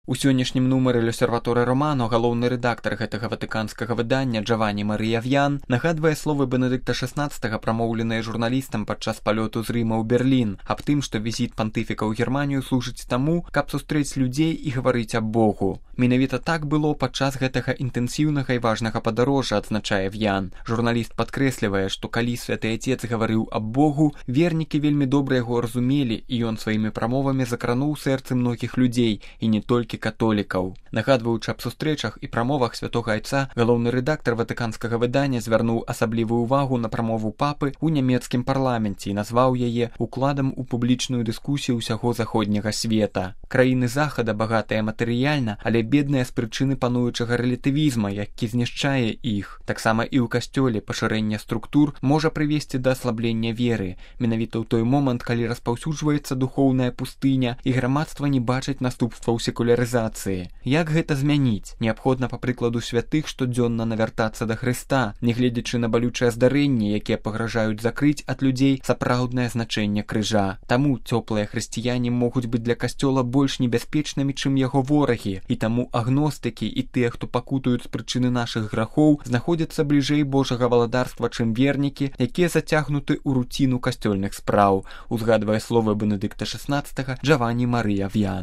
У сённяшнім нумары L'Osservatore Romano галоўны рэдактар гэтага ватыканскага выдання Джаванні Марыя В'ян нагадвае словы Бенедыкта XVI, прамоўленыя журналістам падчас палёту з Рыма ў Берлін, аб тым, што візіт пантыфіка ў Германію служыць таму, каб сустрэць людзей і гаварыць аб Богу. Менавіта так было падчас гэтага інтэнсіўнага і важнага падарожжа, адзначае В'ян. Журналіст падкрэслівае, што калі святы Отец гаварыў аб Богу, вернікі вельмі добра яго разумелі, і ён сваімі прамовамі закрануў сэрцы многіх людзей, і не толькі католікаў. Нагадваючы аб сустрэчах і прамовах святога Айца, галоўны рэдактар ватыканскага выдання звярнуў асаблівую ўвагу на прамову папы ў нямецкім парламенце і назваў яе укладам у публічную дыскусію ўсяго заходняга света. Краіны захада багатыя матэрыяльна, але бедныя з прычыны пануючага рэлятывізма, які знішчае іх. Таксама і ў касцёле пашырэнне структур можа прывесці да аслаблення веры, менавіта ў той момант, калі распаўсюджваецца духоўная пустыня і грамадства не бачыць наступстваў секулярызацыі. Як гэта змяніць? Неабходна, па прыкладу святых, штодзённа навяртацца да Хрыста, нягледзячы на балючыя здарэнні, якія пагражаюць закрыць ад людзей сапраўднае значэнне крыжа. Таму цёплыя хрысціяне могуць быць для касцёла больш небяспечнымі, чым яго ворагі, і таму агностыкі і тыя, хто пакутаюць з прычыны нашых грахоў, знаходзяцца бліжэй Божага валадарства, чым вернікі, якія зацягнуты ў руціну касцёльных спраў, узгадвае словы Бенедыкта XVI Джаванні Марыя В'ян.